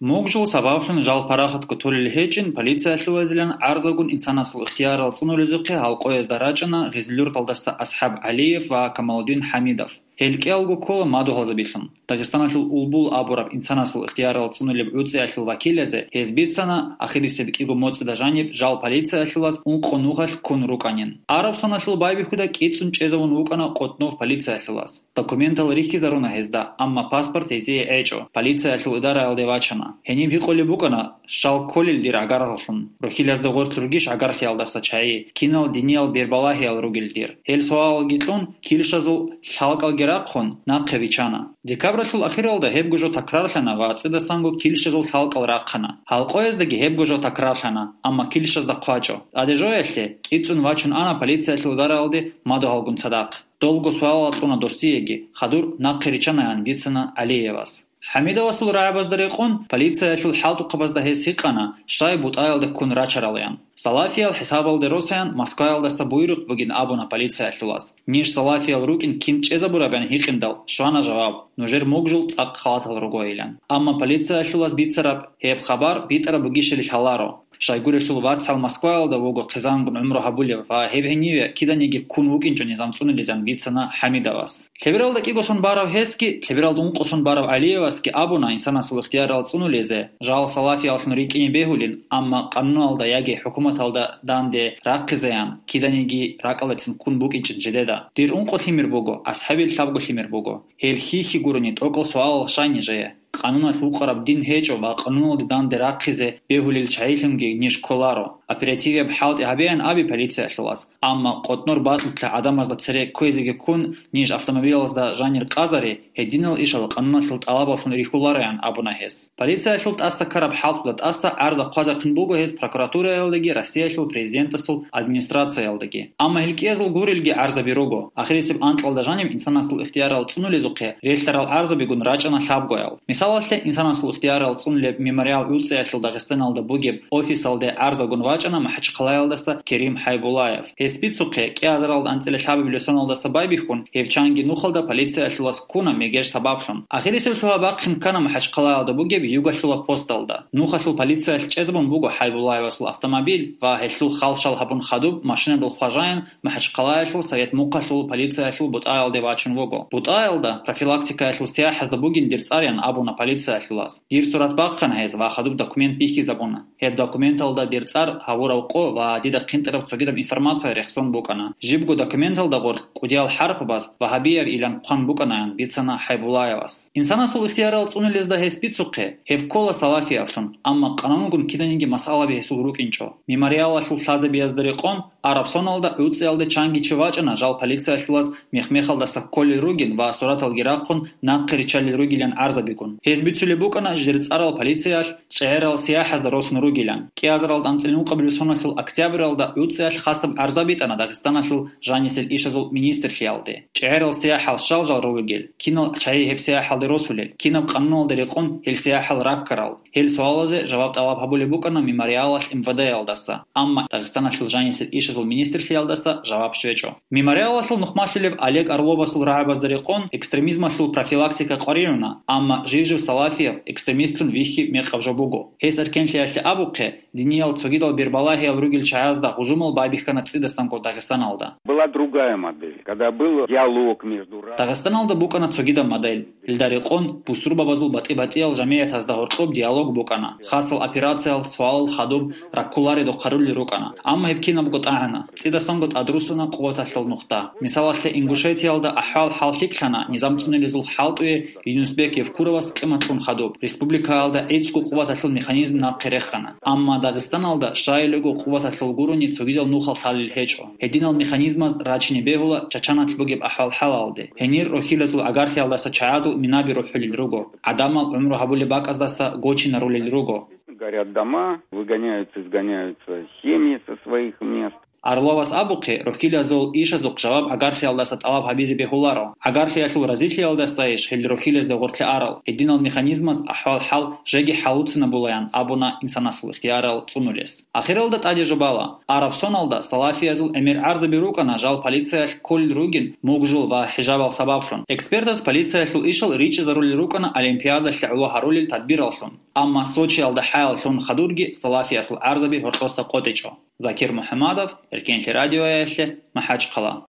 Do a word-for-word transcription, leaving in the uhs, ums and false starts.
Мугжул сабаблъун жал парахатго толел гьечӀин полициялъулазилан гӀарзагун инсанасул ихтиярал цӀунулезухъе гьалкъоязда рачӀана Гъизлюрталдаса АсхӀаб ГӀалиев ва Камалудин ХӀамидов. Гьел кӀиялго ккола мадугьалзабилъун. Дагъистаналъул Улбул абураб инсанасул ихтиярал цӀунулеб гӀуцӀиялъул вакилазе гьез бицана, ахирисеб кӀиго моцӀида жаниб жал полициялъулаз ункъо нухалъ ккун рукӀанин. Араб соналъул байбихьуда кӀицӀун чӀезавун вукӀана Къутнов полициялъулаз. Документал рихьизаруна гьезда, амма паспорт гьезие гӀечӀо, полициялъул идараялде вачана. Гьениб гьикъулеб букӀана, щал кколел дир гӀагаралъун, рухьилазда гъорлъ ругищ гӀагарлъиялдаса чагӀи, кинал диниял бербалагьиял ругел дир. Гьел суалалги кьун, килщазул лъалкӀалги рахъун, нахъе бичана. Декабралъул ахиралда гьебго жо такрарлъана ва цӀидасанго килщазул лъалкӀал рахъана. Гьалкъояздаги гьебго жо такрарлъана, амма килщазда хъвачӀо. ТӀаде жоялъе, кӀицӀун вачун ана полициялъул идараялде мадугьалгун цадахъ. Долго суалал кьуна досиеги, хадур нахъе ричанаян бицана ГӀалиевас. ХӀамидовасул рагӀабазда рекъон, полициялъул хӀалтӀухъабазда гьес гьикъана, щай бутӀаялда ккун рачаралаян. Салафиял хӀисабалде росаян Москваялдаса буйрухъ бугин абуна полициялъулаз. Ниж салафиял рукӀин кин чӀезабураб ян гьикъиндал, щвана жаваб, нужер мугжул цӀакъ халатал ругойилан. Амма полициялъулаз бицараб гьеб хабар битӀараб бугищали лъаларо. Щайгурелъул вацгӀал Москваялда вуго хъизангун гӀумру гьабулев ва гьеб гьениве киданиги ккун вукӀинчӀо низам цӀунулезан бицана ХӀамидовас. Лъебералда кӀиго сон барав гьесги, лъебералда ункъо сон барав ГӀалиевасги абуна инсанасул ихтиярал цӀунулезе, жал салафияллъун рикӀкӀине бегьулин, амма къануналда яги хӀукуматалда данде рахъизеян, киданиги ракӀалдецин ккун букӀинчӀин жидеда. Дир ункъо лъимер буго, асхӀабил лъабго лъимер буго. Гьел хьихьи гурони тӀокӀал суалал щай нижее? Къануналъ вукъараб дин гьечӀо ва къануналде данде рахъизе бегьулел чагӀилъунги ниж кколаро. Оперативияб хӀалтӀи гьабеян абе полициялъулаз, амма къотӀнор бакьулъа гӀадамазда цере кквезеги ккун, ниж автомобилазда жанир къазари, гьединал ишал къануналъул тӀалабаллъун рихьулараян абуна гьес. Полициялъул тӀаса ккараб хӀалтӀуда тӀаса гӀарза хъвазехъин буго гьес прокуратураялдаги Россиялъул президентасул администрациялдаги. Амма гьел кӀиязул гурелги гӀарзаби руго. Ахирисеб анкьалда жаниб инсанасул ихтиярал цӀунулезухъе релълъарал гӀарзабигун рачӀана лъабгоял. Мисалалъе, инсанасул ихтиярал цӀунулеб мемориал гӀуцӀиялъул Дагъистаналда бугеб офисалде гӀарзагун вачӀана МахӀачхъалаялдаса Керим ХӀайбуллаев. Гьес бицухъе, кӀиазаралда анцӀила лъабабилеб соналдаса байбихьун, гьев чанги нухалда полициялъулас ккуна мегеж сабаблъун. Ахирисеб лъугьа-бахъин ккана МахӀачхъалаялда бугеб Югалъула посталда. Нухалъул полициялъ чӀезабун буго ХӀайбуллаевасул автомобиль ва гьелъул хал-шал гьабун хадуб машинадул хважаин МахӀачхъалаялъул Совет Мухъалъул полициялъул бутӀаялде вачун вуго. БутӀаялда профилактикаялъул сияхӀазда бугин дир цӀарян абуна полициялъулас. Дир сурат бахъана гьез ва хадуб документ бихьизабуна. Гьеб документалда дир цӀар, гьавурав къо ва дида хъинтӀараб цогидаб информация рехсон букӀана. Жибго документалда гъорлъ кӀудиял хӀарпабаз вагьабияв илан хъван букӀанаян бицана ХӀайбуллаевас. Инсанасул ихтиярал цӀунулезда гьес бицухъе, гьеб ккола салафиявлъун, амма къанунгун киданиги масъалаби гьесул рукӀинчӀо. Мемориалалъул лъазабиязда рекъон, араб соналда гӀуцӀиялде чанги чи вачӀана жал полициялъулаз мех-мехалдаса кколел ругин ва сураталги рахъун нахъе риччалел ругилан гӀарзабигун. Гьез бицулеб букӀана жидер цӀарал полициялъ чӀегӀерал сияхӀазда росун ругилан. КӀиазаралда анцӀила ункъабилеб соналъул октябралда гӀуцӀиялъ хасаб гӀарза битӀана Дагъистаналъул жанисел ишазул министрлъиялде. ЧӀегӀерал сияхӀал щал жал ругел, кинал чагӀи гьеб сияхӀалде росулел, кинаб къануналда рекъон гьел сияхӀал раккарал? Гьел суалазе жаваб тӀалаб гьабулеб букӀана мемориалалъ МВД-ялдаса, амма Дагъистаналъул жанисел ишазул министрлъиялдаса жаваб щвечӀо. Мемориалалъул нухмалъулев Олег Орловасул рагӀабазда рекъон экстремизмалъул профилактика къваригӀуна, амма жив-жив салафияв экстремистлъун вихьи мекъаб жо буго. Гьес эркенлъиялъе абухъе, диниял цогидал бербалагьиял ругел чагӀазда гьужумал байбихьана цӀидасанго Дагъистаналда. Была другая модель, когда был диалог между разными. Дагъистаналда букӀана цогидаб модель. Гьелда рекъон бусурбабазул батӀи-батӀиял жамигӀятазда гьоркьоб диалог букӀана. Хасал операциял, суалал хадуб, раккуларедухъ гьарулел рукӀана. Амма гьеб кинабго тӀагӀана. ЦӀидасанго тӀадруссана къуваталъул нухда. Мисалалъе, Ингушетиялда ахӀвал-хӀал лъикӀлъана низам цӀунилезул хӀалтӀуе Юнусбек Евкуровас къиматлъун хадуб. Республикаялда гӀицӀго къуваталъул механизм нахъе рехана. Амма Дагъистаналда щайилего къуваталъул гурони цогидал нухал лъалел гьечӀо. Гьединал механизмаз рачине бегьула Чачаналъ бугеб ахӀвал-хӀалалде. Гьенир рохьилазул гӀагарлъиялдаса чагӀазул минаби рухӀулел руго. ГӀадамал гӀумру гьабулеб бакӀаздаса гочинарулел руго. Горят дома, выгоняются, изгоняются семьи со своих мест. Орловас абухъе, рохьилазул ишазухъ жаваб гӀагарлъиялдаса тӀалаб гьабизе бегьуларо. ГӀагарлъиялъул разилъиялдасайищ гьел рохьилазда гъоркье арал? Гьединал механизмаз ахӀвал-хӀал жеги хӀалуцинабулаян абуна инсанасул ихтиярал цӀунулес. Ахиралда тӀаде жубала: Араб соналда салафиязул гӀемер гӀарзаби рукӀана жал полициялъ кколел ругин мугжул ва хӀижабал сабаблъун. Экспертаз полициялъул ишал ричӀчӀизарулел рукӀана Олимпиадалъе гӀоло гьарулел тадбираллъун. Амма Сочиялда хӀаял лъун хадурги салафиясул гӀарзаби гьоркьоса къотӀичӀо. Закир МухӀаммадов, Эркенлъи радиоялъе, МахӀачхъала.